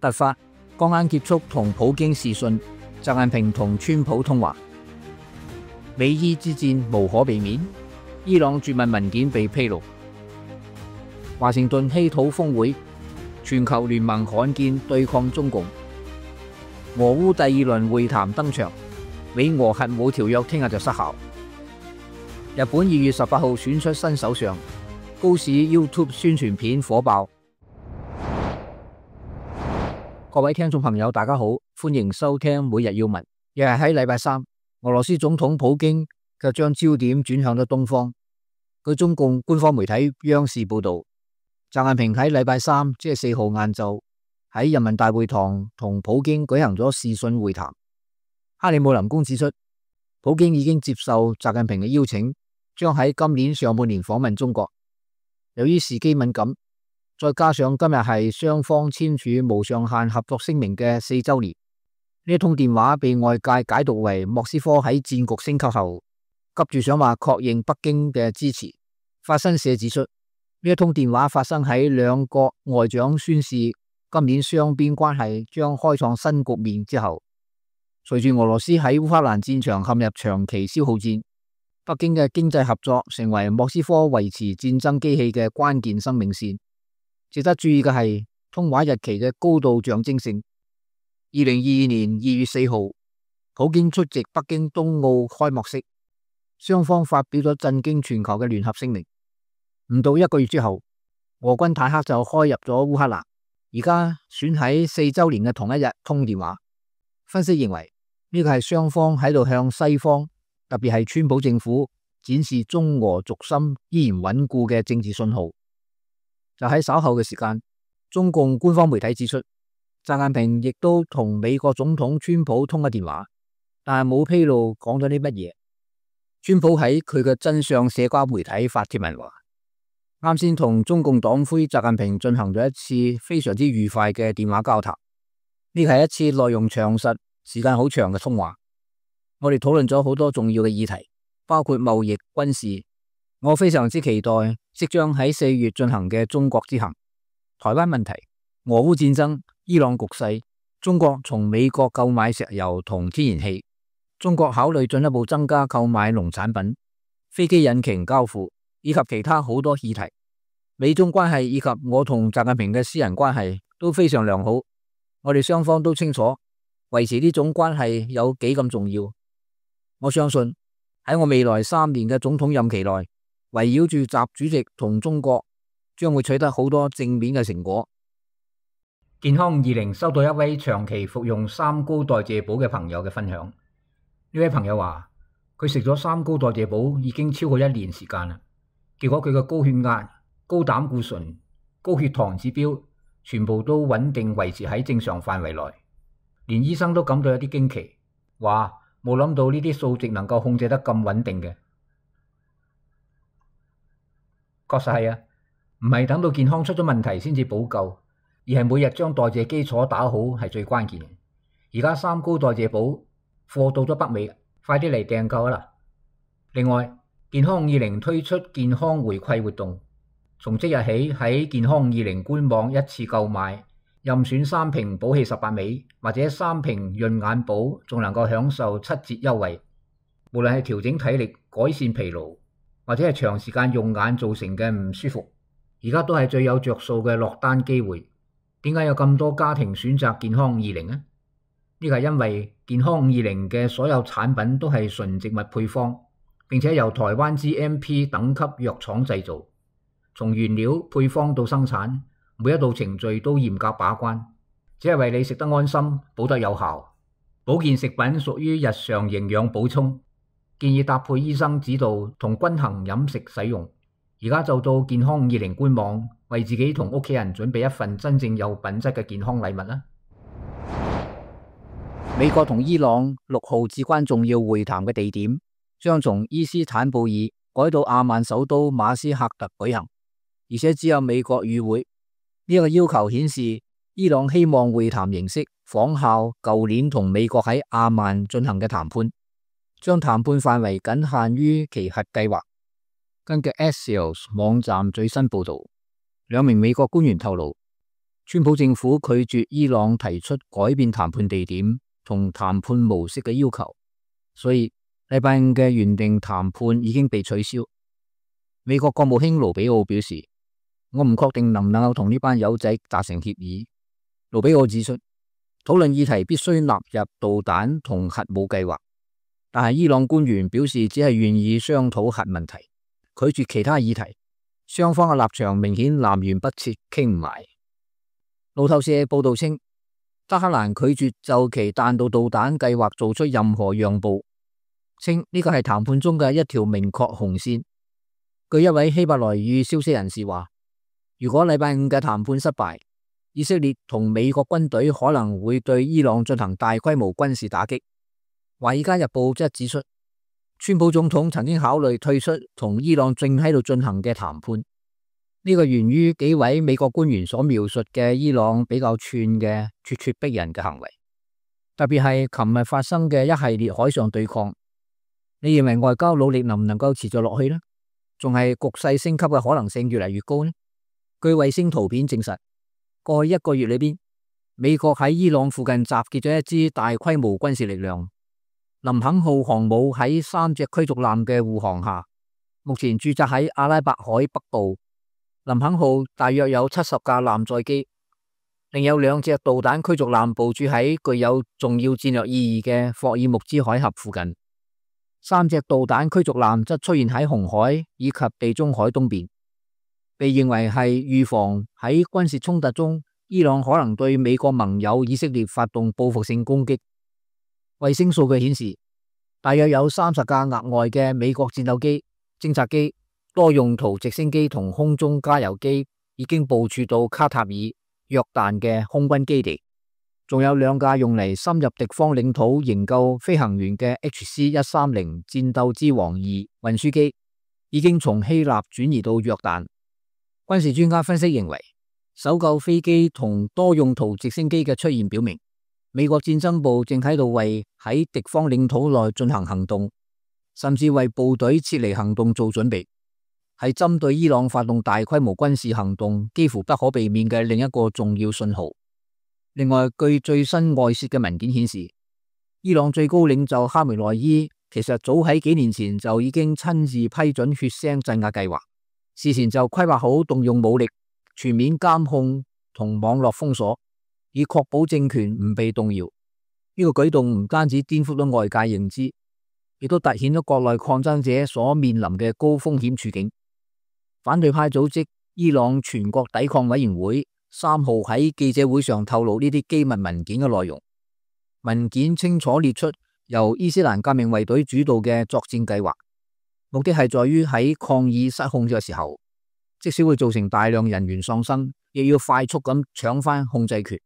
突發剛啱結束同普京視訊，習近平同川普通話。美伊之戰無可避免，伊朗絕密文件被披露。華盛頓稀土峰會，全球聯盟罕見對抗中共。俄烏第二輪會談登場，美俄核武條約聽日就失效。日本2月18號選出新首相，高市 YouTube 宣傳片火爆。各位聽眾朋友，大家好，歡迎收聽每日要聞。又係喺禮拜三，俄羅斯總統普京卻將焦點轉向咗東方。據中共官方媒體央視報道，習近平喺禮拜三即係4號晏晝喺人民大會堂同普京舉行咗視訊會談。克里姆林宮指出，普京已經接受習近平嘅邀請，將喺今年上半年訪問中國。由於時機敏感，再加上今日係雙方簽署無上限合作聲明嘅4週年，呢一通電話被外界解讀為莫斯科喺戰局升級後急住想話確認北京嘅支持。法新社指出，呢一通電話發生喺兩國外長宣示今年雙邊關係將開創新局面之後。隨住俄羅斯喺烏克蘭戰場陷入長期消耗戰，北京嘅經濟合作成為莫斯科維持戰爭機器嘅關鍵生命線。值得注意嘅係通話日期嘅高度象徵性。2022年2月4號，普京出席北京冬奧開幕式，雙方發表咗震驚全球嘅聯合聲明。唔到1個月之後，俄軍坦克就開入咗烏克蘭，而家選喺4週年嘅同一日通電話。分析認為呢個係雙方喺度向西方，特別係川普政府展示中俄軸心依然穩固嘅政治信號。就喺稍後嘅時間，中共官方媒體指出，習近平亦都同美國總統川普通咗電話，但係冇披露講咗啲乜嘢。川普喺佢嘅真相社交媒體發帖文話，啱先同中共黨魁習近平進行咗一次非常之愉快嘅電話交談，呢係一次內容詳實、時間好長嘅通話。我哋討論咗好多重要嘅議題，包括貿易、軍事。我非常之期待即將喺4月進行嘅中國之行、台灣問題、俄烏戰爭、伊朗局勢、中國從美國購買石油同天然氣、中國考慮進一步增加購買農產品、飛機引擎交付以及其他好多議題。美中關係以及我同習近平嘅私人關係都非常良好，我哋雙方都清楚維持呢種關係有幾咁重要。我相信喺我未來3年嘅總統任期內，圍繞住習主席同中國，將會取得好多正面嘅成果。健康20收到一位長期服用三高代謝寶嘅朋友嘅分享。呢位朋友話，佢食咗三高代謝寶已經超過1年時間啦，結果佢嘅高血壓、高膽固醇、高血糖指標全部都穩定維持喺正常範圍內，連醫生都感到有啲驚奇，話冇諗到呢啲數值能夠控制得咁穩定嘅。確實係啊，唔係等到健康出咗問題先至補救，而係每日將代謝基礎打好係最關鍵嘅。而家三高代謝寶貨到咗北美，快啲嚟訂購啦！另外，健康50推出健康回饋活動，從即日起喺健康20官網一次購買，任選3瓶補氣18味或者3瓶潤眼寶，仲能夠享受7折優惠。無論係調整體力、改善疲勞，或者係長時間用眼造成嘅唔舒服，而家都係最有着數嘅落單機會。點解有咁多家庭選擇健康20呢？呢個係因為健康50嘅所有產品都係純植物配方，並且由台灣 GMP 等級藥廠製造，從原料配方到生產，每一道程序都嚴格把關，只係為你食得安心、補得有效。保健食品屬於日常營養補充，建議搭配醫生指導同均衡飲食使用。而家就到健康20官網，為自己同屋企人準備一份真正有品質嘅健康禮物啦！美國同伊朗6號至關重要會談嘅地點將從伊斯坦布爾改到阿曼首都馬斯喀特舉行，而且只有美國與會。呢個要求顯示伊朗希望會談形式仿效舊年同美國喺阿曼進行嘅談判，將談判範圍僅限於其核計劃。根據 Axios 網站最新報道，2名美國官員透露，川普政府拒絕伊朗提出改變談判地點同談判模式嘅要求，所以禮拜五嘅原定談判已經被取消。美國國務卿盧比奧表示，我唔確定能唔能夠同呢班友仔達成協議。盧比奧指出，討論議題必須納入導彈同核武計劃，但係伊朗官員表示只係願意商討核問題，拒絕其他議題。雙方嘅立場明顯南轅北轍，傾唔埋。路透社報道稱，德黑蘭拒絕就其彈道導彈計劃做出任何讓步，稱呢個係談判中嘅一條明確紅線。據一位希伯來語消息人士話，如果禮拜五嘅談判失敗，以色列同美國軍隊可能會對伊朗進行大規模軍事打擊。華爾街日報則指出，川普總統曾經考慮退出同伊朗正喺度進行嘅談判。呢個源於幾位美國官員所描述嘅伊朗比較串嘅咄咄逼人嘅行為，特別係琴日發生嘅一系列海上對抗。你認為外交努力能唔能夠持續落去呢？仲係局勢升級嘅可能性越嚟越高呢？據衛星圖片證實，過去一個月裏邊，美國喺伊朗附近集結咗一支大規模軍事力量。林肯號航母喺3隻驅逐艦嘅護航下，目前駐紮喺阿拉伯海北部。林肯號大約有70架艦載機，另有2隻導彈驅逐艦部署喺具有重要戰略意義嘅霍爾木茲海峽附近。3隻導彈驅逐艦則出現喺紅海以及地中海東邊，被認為係預防喺軍事衝突中伊朗可能對美國盟友以色列發動報復性攻擊。衛星數據顯示，大約有30架額外嘅美國戰鬥機、偵察機、多用途直升機同空中加油機已經部署到卡塔爾、約旦嘅空軍基地，仲有2架用嚟深入敵方領土營救飛行員嘅 HC-130戰鬥之王2運輸機已經從希臘轉移到約旦。軍事專家分析認為，搜救飛機同多用途直升機嘅出現表明，美國戰爭部正喺度為喺敵方領土內進行行動，甚至為部隊撤離行動做準備，係針對伊朗發動大規模軍事行動幾乎不可避免嘅另一個重要信號。另外，據最新外泄嘅文件顯示，伊朗最高領袖哈梅內伊其實早喺幾年前就已經親自批准血腥鎮壓計劃，事前就規劃好動用武力、全面監控同網絡封鎖，以確保政權唔被動搖。呢個舉動唔單止顛覆咗外界認知，亦都凸顯咗國內抗爭者所面臨嘅高風險處境。反對派組織伊朗全國抵抗委員會3號喺記者會上透露呢啲機密文件嘅內容。文件清楚列出由伊斯蘭革命衛隊主導嘅作戰計劃，目的係在於喺抗議失控嘅時候，即使會造成大量人員喪生，亦要快速咁搶翻控制權。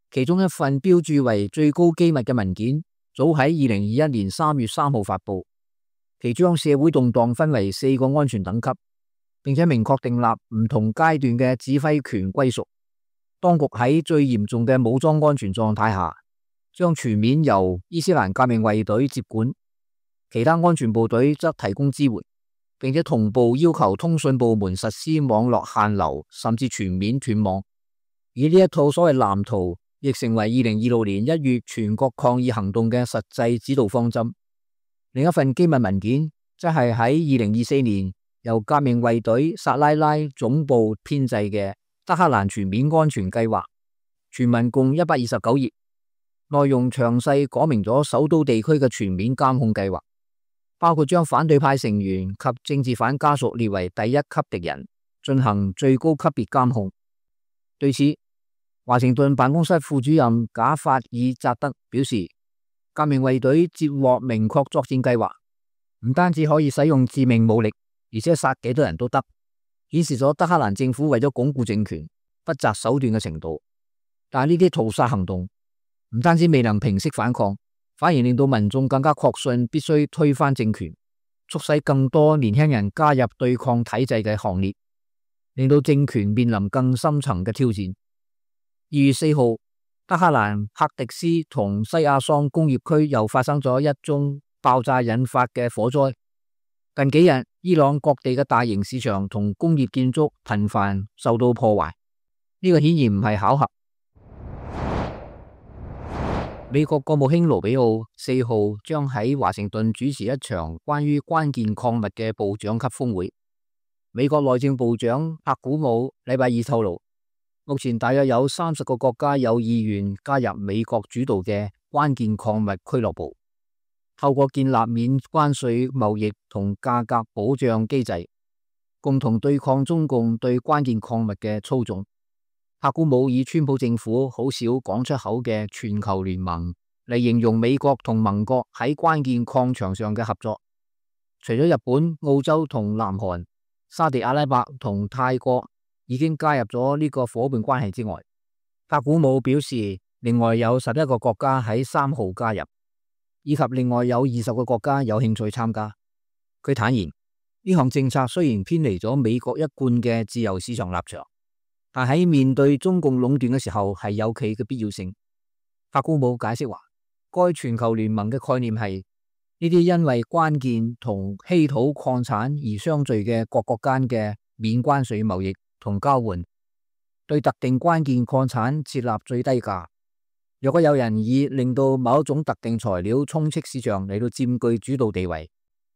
其中一份標注為最高機密嘅文件，早喺2021年3月3號發布，其將社會動盪分為4個安全等級，並且明確訂立唔同階段嘅指揮權歸屬。當局喺最嚴重嘅武裝安全狀態下，將全面由伊斯蘭革命衛隊接管，其他安全部隊則提供支援，並且同步要求通訊部門實施網絡限流，甚至全面斷網。而呢一套所謂藍圖，亦成為2026年1月全國抗議行動嘅實際指導方針。另一份機密文件，則係喺2024年由革命衛隊薩拉拉總部編製嘅德黑蘭全面安全計劃，全文共129頁，內容詳細講明咗首都地區嘅全面監控計劃，包括將反對派成員及政治犯家屬列為第一級敵人，進行最高級別監控。對此，華盛頓辦公室副主任賈法爾扎德表示，革命衛隊接獲明確作戰計劃，唔單止可以使用致命武力，而且殺幾多人都得，顯示咗德黑蘭政府為咗鞏固政權不擇手段嘅程度。但係呢啲屠殺行動唔單止未能平息反抗，反而令到民眾更加確信必須推翻政權，促使更多年輕人加入對抗體制嘅行列，令到政權面臨更深層嘅挑戰。2月4號，德黑蘭赫迪斯同西亞桑工業區又發生咗一宗爆炸引發嘅火災。近幾日，伊朗各地嘅大型市場同工業建築頻繁受到破壞，呢個顯然唔係巧合，美國國務卿盧比奧4號將喺華盛頓主持一場關於關鍵礦物嘅部長級峰會。美國內政部長帕古姆禮拜二透露，目前大約有30個國家有意願加入美國主導嘅關鍵礦物俱樂部，透過建立免關稅貿易同價格保障機制，共同對抗中共對關鍵礦物嘅操縱。帕古姆以川普政府好少講出口嘅全球聯盟嚟形容美國同盟國喺關鍵礦場上嘅合作。除咗日本、澳洲同南韓、沙地阿拉伯同泰國已經加入咗呢個夥伴關係之外，帕古姆表示另外有11個國家喺3號加入，以及另外有20個國家有興趣參加。佢坦言，呢項政策雖然偏離咗美國一貫嘅自由市場立場，但喺面對中共壟斷嘅時候係有其嘅必要性。帕古姆解釋話，該全球聯盟嘅概念係呢啲因為關鍵同稀土礦產而相聚嘅各國間嘅免關稅貿易同交換，對特定關鍵礦產設立最低價。若果有人以令到某一種特定材料充斥市場嚟到佔據主導地位，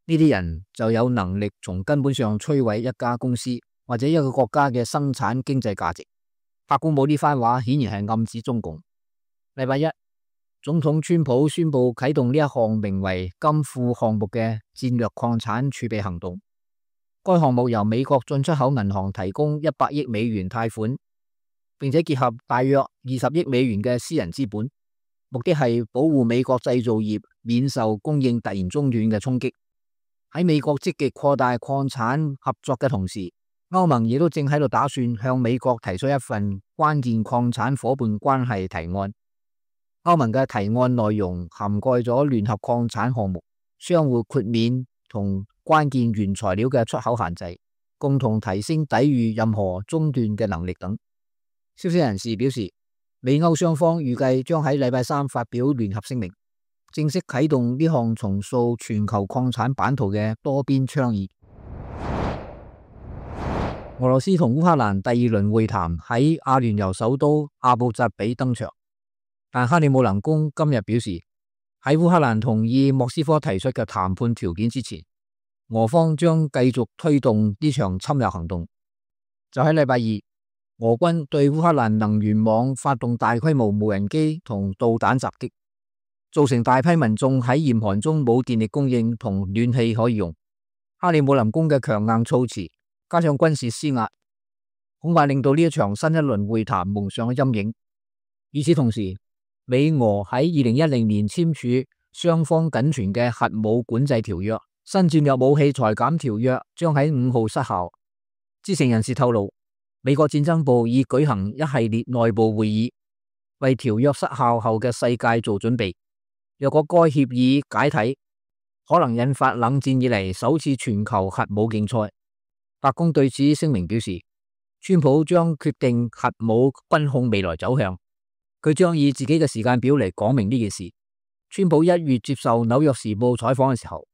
呢啲人就有能力從根本上摧毀一家公司或者一個國家嘅生產經濟價值。帕古姆呢番話顯然係暗指中共。禮拜一，總統川普宣布啟動呢一項名為金庫項目嘅戰略礦產儲備行動。該項目由美國進出口銀行提供100億美元貸款，並且結合大約20億美元嘅私人資本，目的係保護美國製造業免受供應突然中斷嘅衝擊。喺美國積極擴大礦產合作嘅同時，歐盟亦都正喺度打算向美國提出一份關鍵礦產夥伴關係提案。歐盟嘅提案內容涵蓋咗聯合礦產項目、相互豁免同關鍵原材料嘅出口限制，共同提升抵禦任何中斷嘅能力等。消息人士表示，美歐雙方預計將喺禮拜三發表聯合聲明，正式啟動呢項重塑全球礦產版圖嘅多邊倡議。俄羅斯同烏克蘭第2輪會談喺阿聯酋首都阿布扎比登場，但克里姆林宮今日表示，喺烏克蘭同意莫斯科提出嘅談判條件之前，俄方將繼續推動呢場侵略行動。就喺禮拜二，俄軍對烏克蘭能源網發動大規模無人機同導彈襲擊，造成大批民眾喺嚴寒中冇電力供應同暖氣可以用。克里姆林宮嘅強硬措辭加上軍事施壓，恐怕令到呢一場新一輪會談蒙上咗陰影。與此同時，美俄喺2010年簽署雙方僅存嘅核武管制條約，新戰略武器裁減條約將喺5號失效。知情人士透露，美國戰爭部已舉行一系列內部會議，為條約失效後嘅世界做準備。若果該協議解體，可能引發冷戰以嚟首次全球核武競賽。白宮對此聲明表示，川普將決定核武軍控未來走向，佢將以自己嘅時間表嚟講明呢件事。川普1月接受紐約時報採訪嘅時候，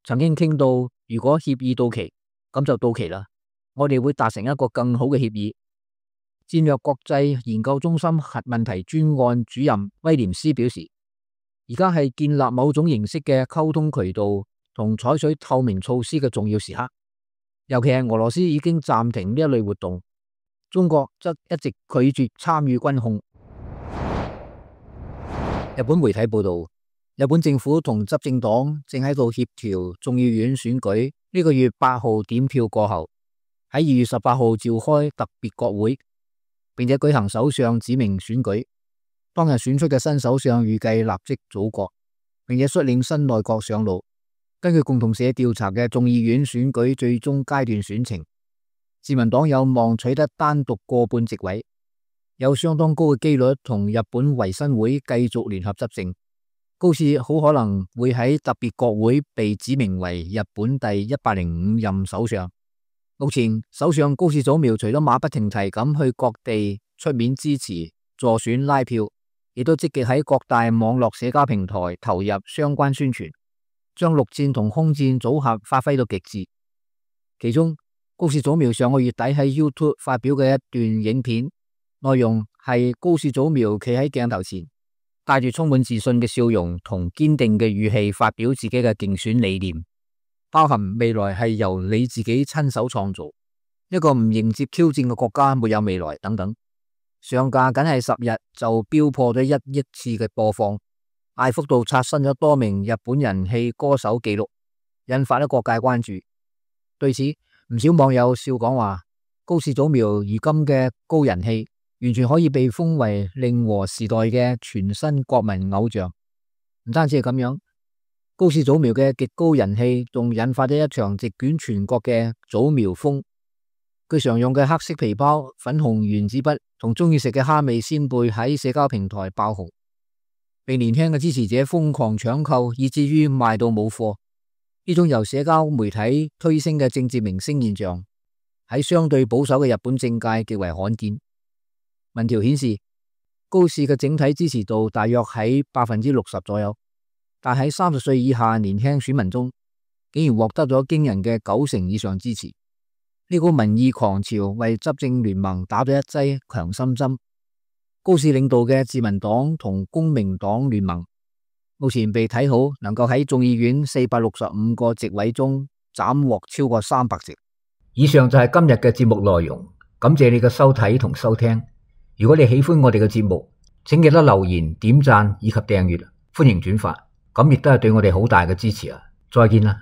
曾經傾到如果協議到期，咁就到期啦，我哋會達成一個更好嘅協議。戰略國際研究中心核問題專案主任威廉斯表示，而家係建立某種形式嘅溝通渠道同採取透明措施嘅重要時刻，尤其係俄羅斯已經暫停呢一類活動，中國則一直拒絕參與軍控。日本媒體報道，日本政府同執政黨正喺度協調眾議院選舉，呢個月8號點票過後，喺2月18號召開特別國會，並且舉行首相指名選舉。當日選出嘅新首相預計立即組閣，並且率領新內閣上路。根據共同社調查嘅眾議院選舉最終階段選情，自民黨有望取得單獨過半席位，有相當高嘅機率同日本維新會繼續聯合執政。高市好可能會喺特別國會被指名為日本第105任首相。目前首相高市早苗除咗馬不停蹄咁去各地出面支持助選拉票，亦都積極喺各大網絡社交平台投入相關宣傳，將陸戰同空戰組合發揮到極致。其中高市早苗上個月底喺 YouTube 發表嘅一段影片，內容係高市早苗企喺鏡頭前，帶住充滿自信嘅笑容同堅定嘅語氣發表自己嘅競選理念，包含未來係由你自己親手創造，一個唔迎接挑戰嘅國家沒有未來等等。上架僅係10日就飆破咗1億次嘅播放，大幅度刷新咗多名日本人氣歌手紀錄，引發咗各界關注。對此，唔少網友笑講話，高市早苗如今嘅高人氣，完全可以被封為令和時代嘅全新國民偶像。唔單止係咁樣，高市早苗嘅極高人氣仲引發咗一場席捲全國嘅早苗風。佢常用嘅黑色皮包、粉紅原子筆同中意食嘅蝦味鮮貝喺社交平台爆紅，被年輕嘅支持者瘋狂搶購，以至於賣到冇貨。呢種由社交媒體推升嘅政治明星現象，喺相對保守嘅日本政界極為罕見。民調顯示，高市嘅整體支持度大約喺60%左右，但喺30歲以下年輕選民中，竟然獲得咗驚人嘅90%以上支持。呢股民意狂潮為執政聯盟打咗一劑強心針。高市領導嘅自民黨同公明黨聯盟目前被睇好能夠喺眾議院465個席位中斬獲超過300席。以上就係今日嘅節目內容，感謝你嘅收睇同收聽。如果你喜歡我哋嘅節目，請記得留言、點讚以及訂閱，歡迎轉發，咁亦都係對我哋好大嘅支持啊！再見啦。